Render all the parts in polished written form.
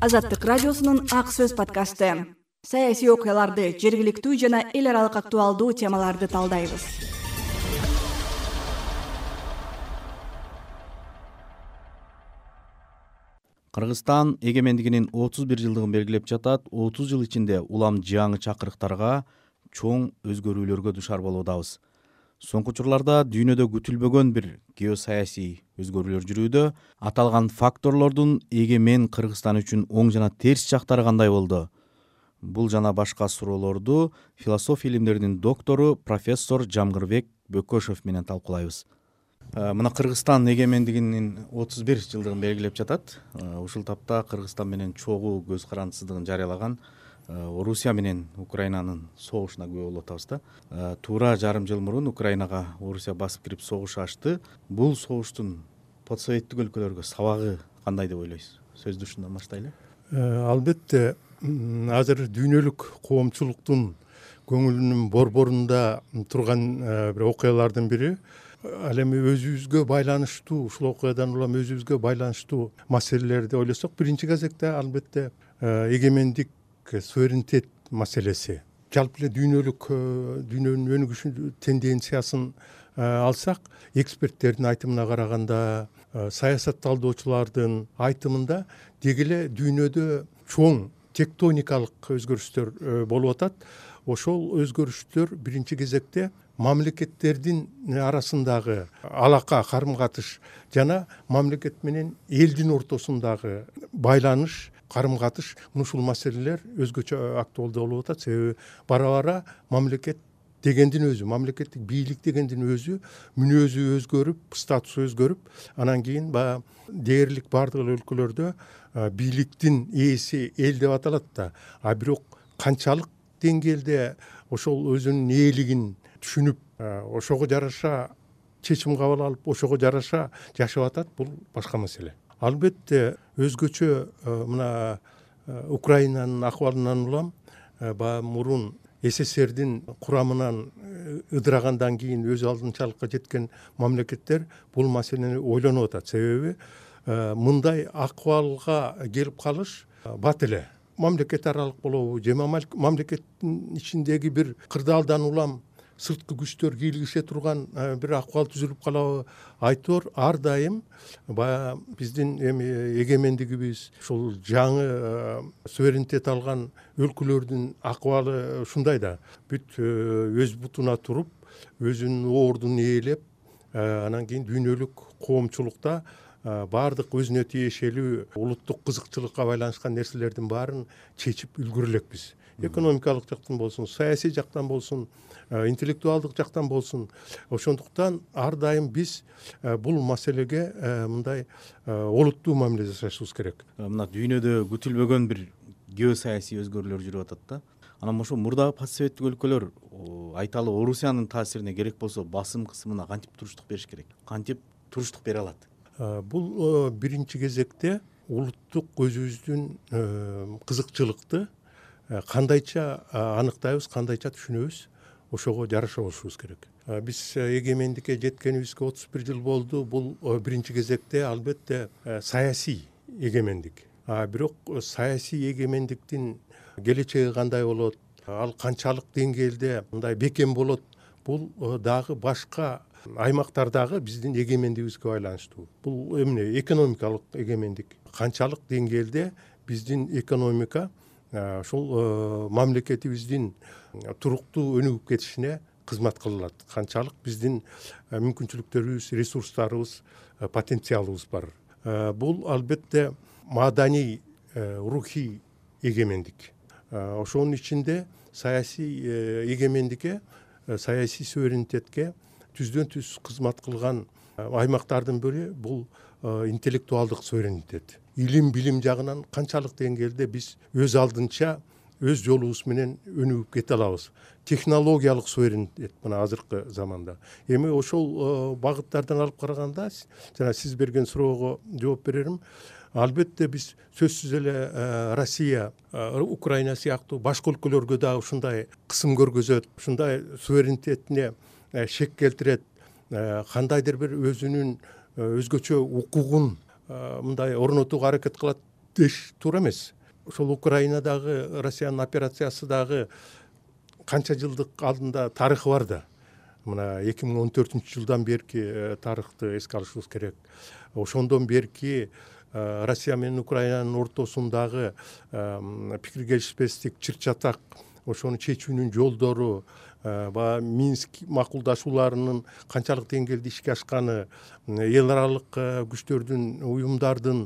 Азаттык радиосунун Ак сөз подкасты. Саясий окуяларды, жергиликтүү жана эл аралык актуалдуу темаларды талдайбыз. Кыргызстан эгемендигинин 31 жылдыгын белгилеп жатат. 30 жыл ичинде улам жаңы чакырыктарга, чоң өзгөрүүлөргө душар болуудабыз. Соңку учурларда дүйнөдө күтүлбөгөн бир геосаясий өзгөрүүлөр жүрүүдө. Аталган факторлордун эгемен Кыргызстан үчүн оң жана терс жактары кандай болду? Бул жана башка суроолорду философия илимдеринин доктору профессор Жамгырбек Бөкөшев менен талкуулайбыз. Мына Кыргызстан эгемендигинин 31 жылдыгын белгилеп жатат. Ушул тапта Кыргызстан менен чогуу көз карандысыздыгын жарыялаган Орусия менен Украинанын согушуна күбө болуп атабыз да. Туура жарым жыл мурун Украинага Орусия басып кирип согуш ачты. Бул согуштун постсоветтик өлкөлөргө сабагы кандай деп ойлойсуз? Сөздү ушундан баштайлы. Албетте азыр дүйнөлүк коомчулуктун көңүлүнүн борборунда турган бир окуялардын бири ал эми өзүбүзгө байланыштуу, ушул окуядан улам өзүбүзгө байланыштуу маселелерди ойлосок, биринчи кезекте албетте эгемендик, суверенитет маселеси. Жалпы эле дүйнөнүн өнүгүшү тенденциясын алсак, эксперттердин айтымына караганда, саясат талдоочулардын айтымында деги эле дүйнөдө чоң тектоникалык өзгөрүштөр болуп атат. Ошол өзгөрүштөр биринчи кезекте мамлекеттердин арасындагы алака, карым-катыш жана мамлекет менен элдин ортосундагы байланыш, карым-катыш, ушул маселелер өзгөчө актуалдуу болуп атат. Себеби бара-бара мамлекет дегендин өзү, мамлекеттик бийлик дегендин өзү мүнөзү өзгөрүп, статусу өзгөрүп, анан кийин дээрлик бардык өлкөлөрдө бийликтин ээси эл деп аталат да. А бирок канчалык деңгээлде ошол өзүнүн ээлигин түшүнүп, ошого жараша чечим кабыл алып, ошого жараша жашап атат, бул башка маселе. Албетте өзгөчө мына Украинанын акыбалынан улам баягы мурун СССРдин курамынан ыдырагандан кийин өз алдынчалыкка жеткен мамлекеттер бул маселени ойлонуп атат. Себеби мындай акыбалга келип калыш бат эле. Мамлекет аралык болобу же мамлекеттин ичиндеги бир кырдаалдан улам сырткы күчтөр кийлигише турган бир акыбал түзүлүп калабы? Айтор ар дайым баягы биздин эми эгемендигибиз, ушул жаңы суверенитет алган өлкөлөрдүн акыбалы ушундай да. Бүт өз бутуна туруп, өзүнүн ордун ээлеп, анан кийин дүйнөлүк коомчулукта баардык өзүнө тиешелүү улуттук кызыкчылыкка байланышкан нерселердин баарын чечип үлгүрө элекпиз. Экономикалык жактан болсун, саясий жактан болсун, интеллектуалдык жактан болсун. Ошондуктан ар дайым биз бул маселеге мындай олуттуу мамиле жасашыбыз керек. Мына дүйнөдө күтүлбөгөн бир геосаясий өзгөрүүлөр жүрүп атат да. Анан ошо мурдагы постсоветтик өлкөлөр айталы Орусиянын таасирине керек болсо басым кысымына кантип туруштук бериш керек? Кантип туруштук бере алат? Бул биринчи кезекте улуттук өзүбүздүн кызыкчылыкты кандайча аныктайбыз, кандайча түшүнөбүз, ошого жараша болушубуз керек. Биз эгемендикке жеткенибизге 31 жыл болду. Бул биринчи кезекте албетте саясий эгемендик. Бирок саясий эгемендиктин келечеги кандай болот, ал канчалык деңгээлде мындай бекем болот, бул дагы башка аймактардагы биздин эгемендигибизге байланыштуу. Бул эмне? Экономикалык эгемендик. Канчалык деңгээлде биздин экономика ошол мамлекетибиздин туруктуу өнүгүп кетишине кызмат кылат. Канчалык биздин мүмкүнчүлүктөрүбүз, ресурстарыбыз, потенциалыбыз бар. Бул албетте маданий, рухий эгемендик. Ошонун ичинде саясий эгемендикке, саясий суверенитетке түздөн түз кызмат кылган аймактардын бири бул интеллектуалдык суверенитет. Илим, билим жагынан канчалык деңгээлде биз өз алдынча өз жолубуз менен өнүгүп кете алабыз. Технологиялык суверенитет мына азыркы заманда. Эми ошол багыттардан алып караганда, жана сиз берген суроого жооп берерим. Албетте биз сөзсүз эле Россия, Украина сыяктуу башка өлкөлөргө дагы ушундай кысым көргөзөт, ушундай суверенитетине шек келтирет, кандайдыр бир өзүнүн өзгөчө укугун мындай орнотууга аракет кылат деш туура эмес. Ошол Украинадагы Россиянын операциясы дагы канча жылдык алдында тарыхы бар да. Мына 2014-жылдан берки тарыхты эске алышыбыз керек. Ошондон берки Россия менен Украинанын ортосундагы пикир келишпестик, чыр-чатак, ошону чечүүнүн жолдору, баягы Минск макулдашууларынын канчалык деңгээлде ишке ашканы, эл аралык күчтөрдүн, уюмдардын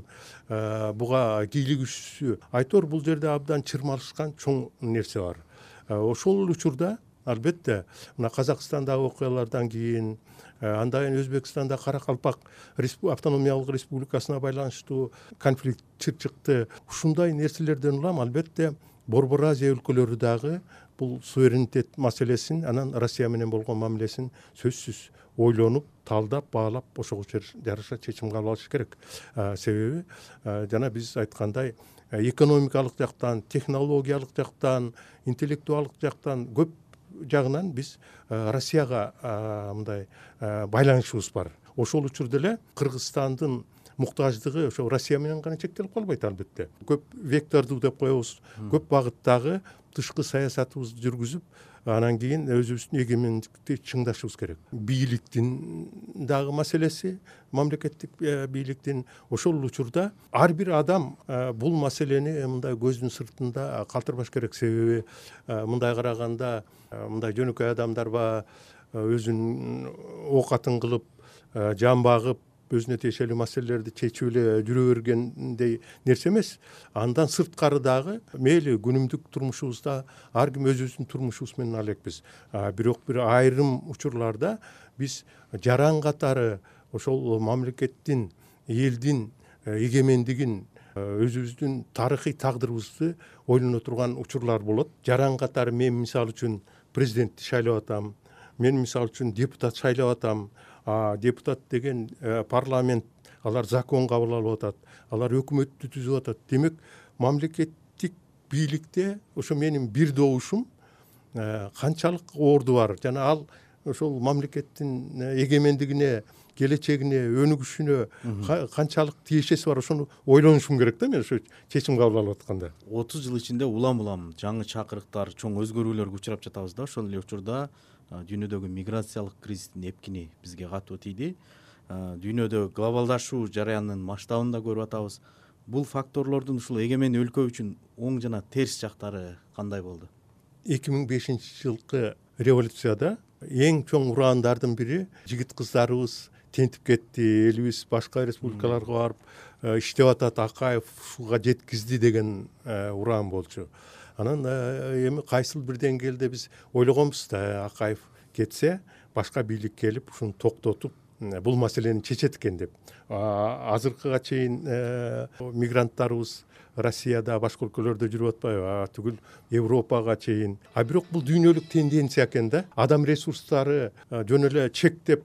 буга кийлигишүүсү, айтор бул жерде абдан чырмалышкан чоң нерсе бар. Ошол учурда албетте мына Казакстандагы окуялардан кийин, андан кийин Өзбекстанда Каракалпак автономиялык республикасына байланыштуу конфликт чыкты. Ушундай нерселерден улам албетте Борбор Азия өлкөлөрү дагы бул суверенитет маселесин, анан Россия менен болгон мамилесин сөзсүз ойлонуп, талдап, баалап, ошого жараша чечим кабыл алыш керек. Себеби жана биз айткандай, экономикалык жактан, технологиялык жактан, интеллектуалдык жактан көп жагынан биз Россияга мындай байланышыбыз бар. Ошол учурда эле Кыргызстандын муктаждыгы ошо Россия менен гана чектелип калбайт албетте. Көп вектордуу деп коебуз, көп багыттагы тышкы саясатыбызды жүргүзүп, анан кийин өзүбүздүн эгемендикти чыңдашыбыз керек. Бийликтин дагы маселеси, мамлекеттик бийликтин, ошол учурда ар бир адам бул маселени мындай көздүн сыртында калтырбаш керек. Себеби мындай караганда мындай жөнөкөй адамдар өзүнүн оокатын кылып, жан багып, өзүнө тиешелүү маселелерди чечип эле жүрө бергендей нерсе эмес. Андан сырткары дагы мейли күнүмдүк турмушубузда ар ким өзүбүздүн турмушубуз менен алекпиз. Бирок бир айрым учурларда биз жаран катары ошол мамлекеттин, элдин эгемендигин, өзүбүздүн тарыхый тагдырыбызды ойлоно турган учурлар болот. Жаран катары мен мисалы үчүн президентти шайлап атам, мен мисалы үчүн депутат шайлап атам. Депутат деген парламент, алар закон кабыл алып атат, алар өкмөттү түзүп атат. Демек, мамлекеттик бийликте ошо менин бир добушум канчалык орду бар жана ал ошол мамлекеттин эгемендигине, келечегине, өнүгүшүнө канчалык тиешеси бар, ошону ойлонушум керек да мен ошо чечим кабыл алып атканда. 30 жыл ичинде улам жаңы чакырыктар, чоң өзгөрүүлөргө учурап жатабыз да. Ошол эле учурда дүйнөдөгү миграциялык кризистин эпкини бизге катуу тийди. Дүйнөдө глобалдашуу жараянынын масштабын да көрүп атабыз. Бул факторлордун ушул эгемен өлкө үчүн оң жана терс жактары кандай болду? 2005-жылкы революцияда эң чоң урандардын бири жигит кыздарыбыз тентип кетти, элибиз башка республикаларга барып иштеп атат, Акаев ушуга жеткизди деген уран болчу. Анан эми кайсыл бир деңгээлде биз ойлогонбуз да, Акаев кетсе, башка бийлик келип ушуну токтотуп, бул маселени чечет экен деп. Азыркыга чейин мигранттарыбыз Россияда, башка өлкөлөрдө жүрүп атпайбы? Түгүл Европага чейин. Бирок бул дүйнөлүк тенденция экен да. Адам ресурстары жөн эле чектеп,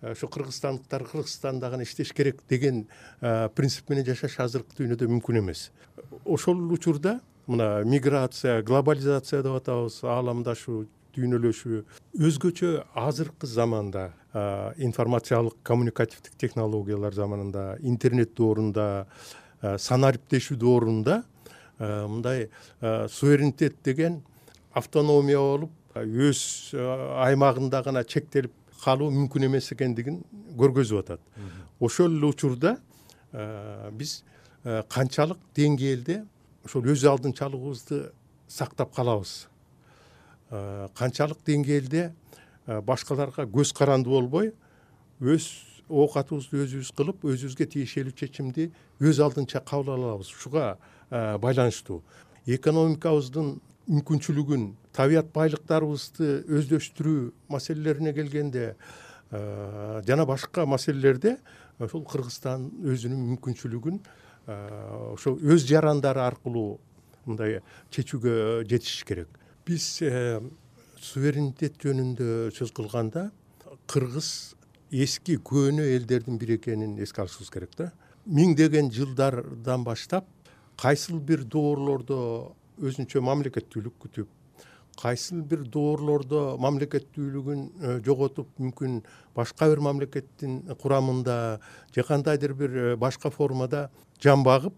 ошо кыргызстандыктар Кыргызстанда гана иштеш керек деген принцип менен жашаш азыркы дүйнөдө мүмкүн эмес. Ошол учурда мына миграция, глобализация деп атабыз, ааламдашуу, дүйнөлөшүү өзгөчө азыркы заманда, информациялык коммуникативдик технологиялар заманында, интернет доорунда, санариптешүү доорунда мындай суверенитет деген автономия болуп, өз аймагында гана чектелип калуу мүмкүн эмес экендигин көргөзүп атат. Ошол эле учурда биз канчалык деңгээлде ошол өз алдынчалыгыбызды сактап калабыз, канчалык деңгээлде башкаларга көз карандуу болбой, өз оокатыбызды өзүбүз кылып, өзүбүзгө тиешелүү чечимди өз алдынча кабыл алабыз. Ушуга байланыштуу экономикабыздын мүмкүнчүлүгүн, табият байлыктарыбызды өздөштүрүү маселелерине келгенде жана башка маселелерде ошол Кыргызстан өзүнүн мүмкүнчүлүгүн ошо өз жарандары аркылуу мындай чечүүгө жетиш керек. Биз суверенитет жөнүндө сөз кылганда Кыргыз эски көөнө элдердин бири экенин эске алышыбыз керек да. Миңдеген жылдардан баштап кайсыл бир доорлордо өзүнчө мамлекеттүүлүк күтүп, кайсыл бир доорлордо мамлекеттүүлүгүн жоготуп, мүмкүн башка бир мамлекеттин курамында же кандайдыр бир башка формада жан багып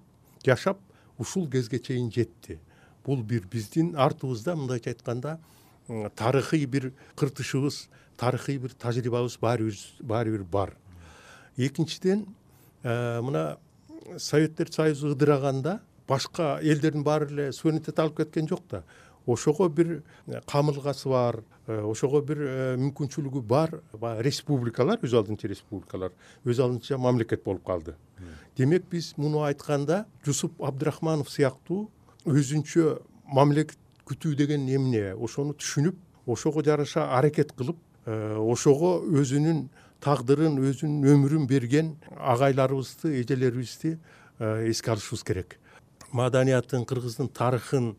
жашап ушул кезге чейин жетти. Бул бир биздин артыбызда мындайча айтканда тарыхый бир кыртышыбыз, тарыхый бир тажрыйбабыз баары бир бар. Экинчиден, мына Советтер Союзу ыдыраганда башка элдердин баары эле суверенитет алып кеткен жок да. Ошого бир камылгасы бар, ошого бир мүмкүнчүлүгү бар республикалар, өз алдынча республикалар, өз алдынча мамлекет болуп калды. Демек биз муну айтканда Жусуп Абдрахманов сыяктуу өзүнчө мамлекет күтүү деген эмне, ошону түшүнүп, ошого жараша аракет кылып, ошого өзүнүн тагдырын, өзүнүн өмүрүн берген агайларыбызды, эжелерибизди эске алышыбыз керек. Маданиятын, кыргыздын тарыхын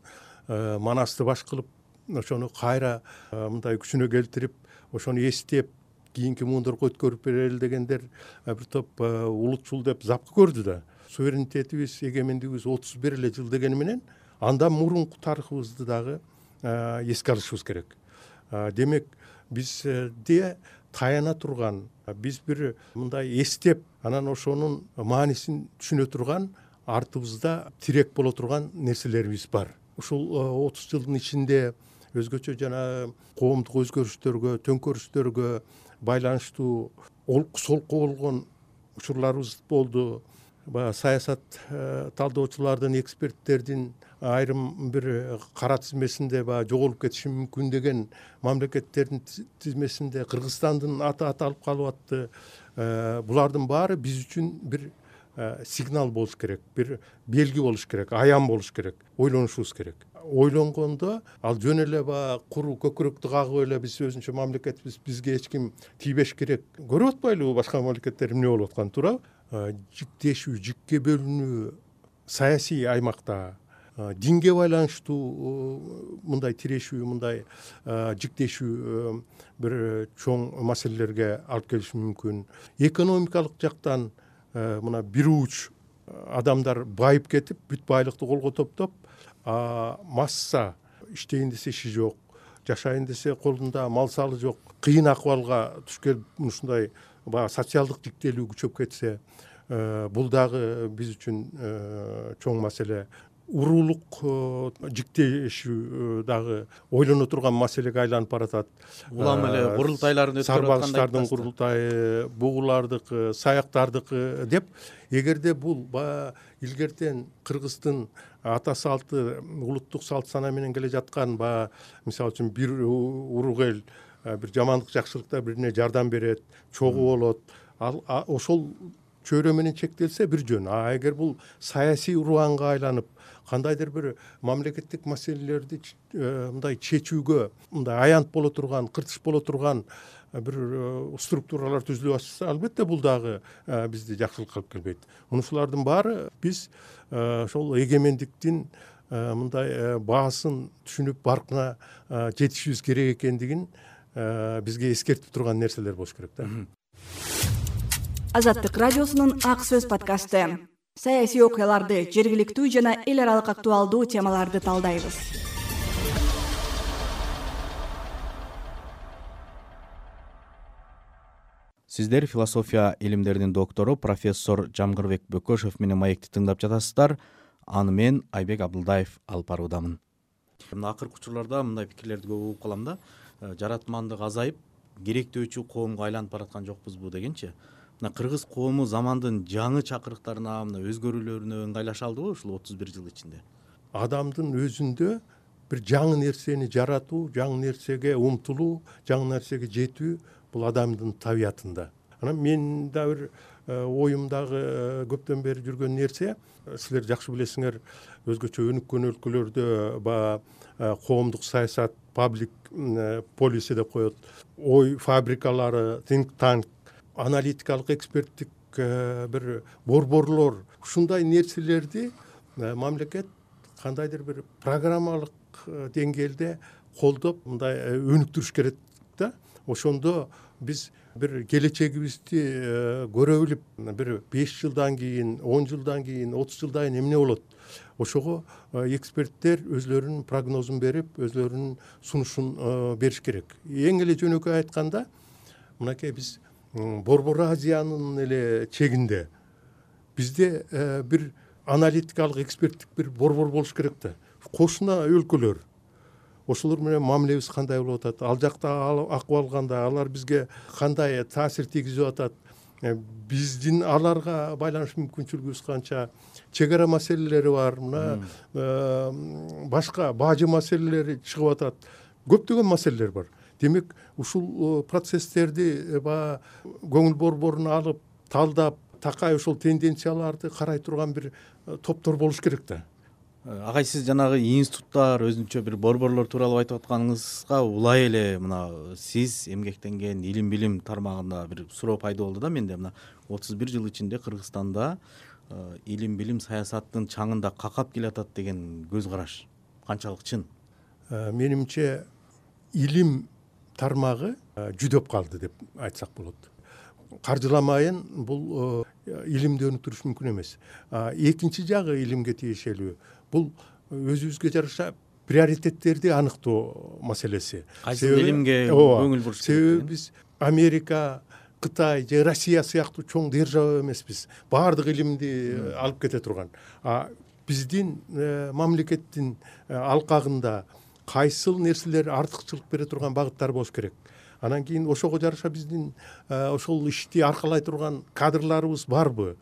манасты баш кылып, ошону кайра мындай күчүнө келтирип, ошону эстеп, кийинки муундарга өткөрүп берели дегендер бир топ улутчул деп запкы көрдү да. Суверенитетибиз, эгемендигибиз 31 эле жыл дегени менен андан мурунку тарыхыбызды дагы эске алышыбыз керек. Демек бизде таяна турган, биз бир мындай эстеп, анан ошонун маанисин түшүнө турган, артыбызда тирек боло турган нерселерибиз бар. Ушул 30 жылдын ичинде өзгөчө жана коомдук өзгөрүштөргө, төңкөрүштөргө байланыштуу олку-солку болгон учурларыбыз болду. Саясат талдоочулардын, эксперттердин айрым бир кара тизмесинде жоголуп кетиши мүмкүн деген мамлекеттердин тизмесинде Кыргызстандын аты аталып калып атты. Булардын баары биз үчүн бир сигнал болуш керек, бир белги болуш керек, аян болуш керек, ойлонушубуз керек. Ойлонгондо ал жөн эле куру көкүрөктү кагып эле биз өзүнчө мамлекетбиз, бизге эч ким тийбеш керек. Көрүп атпайлыбы башка мамлекеттер эмне болуп атканын, туурабы? Жиктешүү, жикке бөлүнүү саясий аймакта, динге байланыштуу мындай тирешүү, мындай жиктешүү бир чоң маселелерге алып келиши мүмкүн. Экономикалык жактан мына бир уч адамдар байып кетип, бүт байлыкты колго топтоп, масса иштейин десе иши жок, жашайын десе колунда мал салы жок, кыйын акыбалга түшкөн ушундай социалдык жиктелүү күчөп кетсе, бул дагы биз үчүн чоң маселе. Уруулук жиктешүү дагы ойлоно турган маселеге айланып баратат. Улам эле курултайларын өткөрүп аткандай. Сарбагычтардын курултайы, бугулардыкы, саяктардыкы деп, эгерде бул илгертен Кыргыздын ата салты, улуттук салт сана менен келе жаткан, мисалы үчүн бир урук эл бир жамандык жакшылыкта бирине жардам берет, чогуу болот, ошол чөйрө менен чектелсе бир жөн. Эгер бул саясий уруанга айланып, кандайдыр бир мамлекеттик маселелерди мындай чечүүгө мындай аянт боло турган, кыртыш боло турган бир структуралар түзүлүп атса, албетте бул дагы бизди жакшылыкка алып келбейт. Мунушулардын баары биз ошол эгемендиктин мындай баасын түшүнүп, баркына жетишибиз керек экендигин бизге эскертип турган нерселер болуш керек да. Азаттык радиосунун Ак сөз подкасты. Саясий окуяларды, жергиликтүү жана эл аралык актуалдуу темаларды талдайбыз. Сиздер философия илимдеринин доктору профессор Жамгырбек Бөкөшев менен маекти тыңдап жатасыздар. Аны мен Айбек Абдылдаев алып баруудамын. Мына акыркы учурларда мындай пикирлерди көп угуп калам да. Жаратмандык азайып, керектөөчү коомго айланып бараткан жокпузбу дегенчи. Мына кыргыз коому замандын жаңы чакырыктарына, мына өзгөрүүлөрүнө ыңгайлаша алдыбы ушул 31 жыл ичинде? Адамдын өзүндө бир жаңы нерсени жаратуу, жаңы нерсеге умтулуу, жаңы нерсеге жетүү бул адамдын табиятында. Анан мен да бир оюмдагы көптөн бери жүргөн нерсе, силер жакшы билесиңер, өзгөчө өнүккөн өлкөлөрдө коомдук саясат, паблик полиси деп коет, ой фабрикалары, think tank, аналитикалык эксперттик бир борборлор, ушундай нерселерди мамлекет кандайдыр бир программалык деңгээлде колдоп, мындай өнүктүрүш керек да. Ошондо биз бир келечегибизди көрө билип, бир 5 жылдан кийин, 10 жылдан кийин, 30 жылдан кийин эмне болот? Ошого эксперттер өзлөрүнүн прогнозун берип, өзлөрүнүн сунушун бериш керек. Эң эле жөнөкөй айтканда, мынакей биз Борбор Азиянын эле чегинде бизде бир аналитикалык эксперттик бир борбор болуш керек да. Кошуна өлкөлөр ошолор менен мамилебиз кандай болуп атат, ал жакта акыбал кандай, алар бизге кандай таасир тийгизип атат, биздин аларга байланыш мүмкүнчүлүгүбүз канча, чек ара маселелери бар, мына башка бажы маселелери чыгып атат, көптөгөн маселелер бар. Демек ушул процесстерди баягы көңүл борборуна алып талдап, такай ошол тенденцияларды карай турган бир топтор болуш керек да. Агай, сиз жанагы институттар, өзүнчө бир борборлор тууралуу айтып атканыңызга улай эле мына сиз эмгектенген илим билим тармагында бир суроо пайда болду да менде. Мына 31 жыл ичинде Кыргызстанда илим билим саясаттын чаңында какап келатат деген көз караш канчалык чын? Менимче илим тармагы жүдөп калды деп айтсак болот. Каржыламайын бул илимди өнүктүрүш мүмкүн эмес. Экинчи жагы илимге тиешелүү бул өзүбүзгө жараша приоритеттерди аныктоо маселеси. Кайсы илимге көңүл буруш керек? Себеби биз Америка, Кытай же Россия сыяктуу чоң держава эмеспиз. Баардык илимди алып кете турган. Биздин мамлекеттин алкагында кайсыл нерселер артыкчылык бере турган багыттар болуш керек. Анан кийин ошого жараша биздин ошол ишти аркалай турган кадрларыбыз барбы?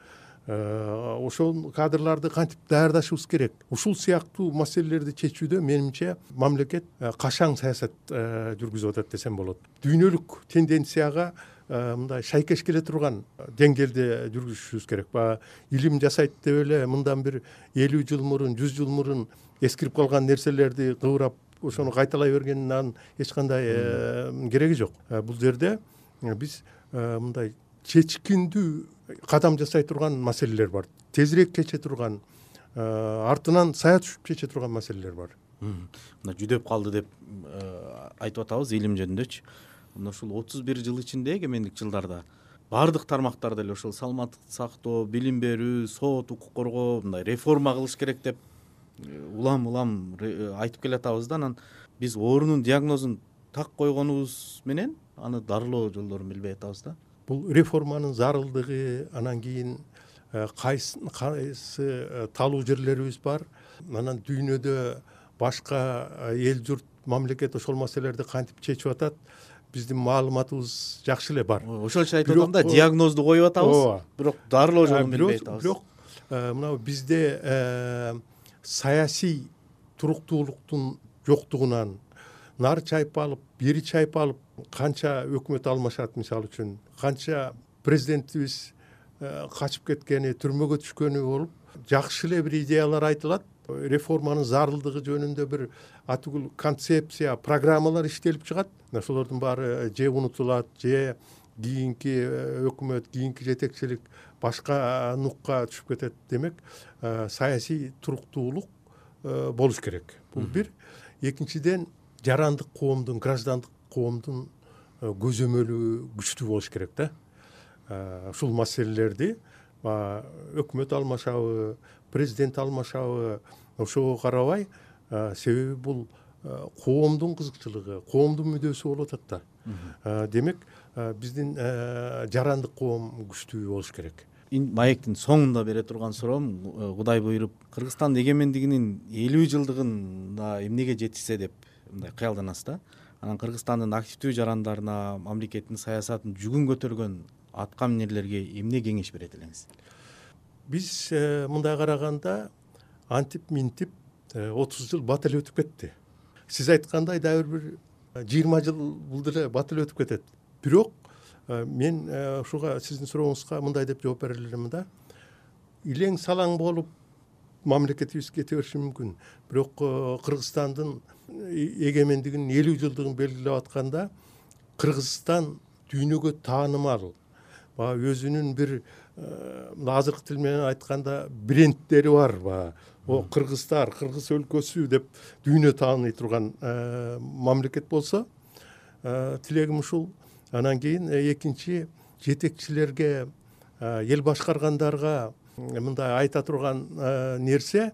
Ошол кадрларды кантип даярдашыбыз керек? Ушул сыяктуу маселелерди чечүүдө менимче мамлекет кашаң саясат жүргүзүп атат десем болот. Дүйнөлүк тенденцияга мындай шайкеш келе турган деңгээлде жүргүзүшүбүз керек. Баягы илим жасайт деп эле мындан бир 50 жыл мурун, 100 жыл мурун эскирип калган нерселерди кыбырап ошону кайталай бергенин эч кандай кереги жок. Бул жерде биз мындай чечкиндүү кадам жасай турган маселелер бар. Тезирээк чече турган, артынан сая түшүп чече турган маселелер бар. Мына жүдөп калды деп айтып атабыз илим жөнүндөчү. Мына ушул 31 жыл ичинде эгемендик жылдарда баардык тармактарда эле ошол саламаттыкты сактоо, билим берүү, сот, укук коргоо мындай реформа кылыш керек деп улам айтып келатабыз да. Анан биз оорунун диагнозун так койгонубуз менен аны дарылоо жолдорун билбей атабыз да. Бул реформанын зарылдыгы, анан кийин кайсы талуу жерлерибиз бар. Анан дүйнөдө башка эл журт, мамлекет ошол маселелерди кантип чечип атат, биздин маалыматыбыз жакшы эле бар. Ошол үчүн айтып атам да, диагнозду коюп атабыз, бирок дарылоо жолун билбей атабыз. Бирок мына бизде саясий туруктуулуктун жоктугунан нары чайпалып, бери чайпалып канча өкмөт алмашат, мисалы үчүн канча президентибиз качып кеткени, түрмөгө түшкөнү болуп, жакшы эле бир идеялар айтылат. Реформанын зарылдыгы жөнүндө бир атүгүл концепция, программалар иштелип чыгат. Ошолордун баары же унутулат, же кийинки өкмөт, кийинки жетекчилик башка нукка түшүп кетет. Демек, саясий туруктуулук болуш керек. Бул бир. Экинчиден, жарандык коомдун, граждандык коомдун көзөмөлү күчтүү болуш керек да. Ушул маселелерди өкмөт алмашабы, президент алмашабы, ошого карабай, себеби бул коомдун кызыкчылыгы, коомдун мүдөөсү болуп атат да. Демек, биздин жарандык коом күчтүү болуш керек. Маектин соңунда бере турган суроом, Кудай буйруп, Кыргызстан эгемендигинин 50 жылдыгында эмнеге жетишсе деп мындай кыялданасыз да. Анан Кыргызстандын активдүү жарандарына, мамлекеттин саясатын жүгүн көтөргөн атка минерлерге эмне кеңеш берет элеңиз? Биз мындай караганда антип минтип 30 жыл бат эле өтүп кетти. Сиз айткандай дагы бир 20 жыл бул деле бат эле өтүп кетет. Бирок мен ушуга сиздин сурооңузга мындай деп жооп бере элем да. Илең салаң болуп мамлекетибиз кете бериши мүмкүн. Бирок Кыргызстандын эгемендигинин 50 жылдыгын белгилеп атканда Кыргызстан дүйнөгө таанымал, өзүнүн бир азыркы тил менен айтканда брендтери бар. Кыргыздар, Кыргыз өлкөсү деп дүйнө тааный турган мамлекет болсо, тилегим ушул. Анан кийин экинчи, жетекчилерге, эл башкаргандарга мындай айта турган нерсе,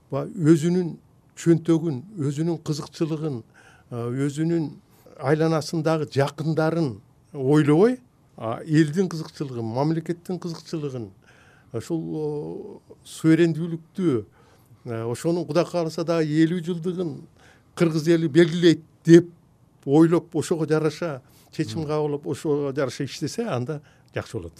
өзүнүн чөнтөгүн, өзүнүн кызыкчылыгын, өзүнүн айланасындагы жакындарын ойлобой, элдин кызыкчылыгын, мамлекеттин кызыкчылыгын, ушул суверендүүлүктү ошонун Кудай кааласа дагы 50 жылдыгын кыргыз эли белгилейт деп ойлоп ошого жараша чечим кабыл алып ошого жараша иштесе анда жакшы болот.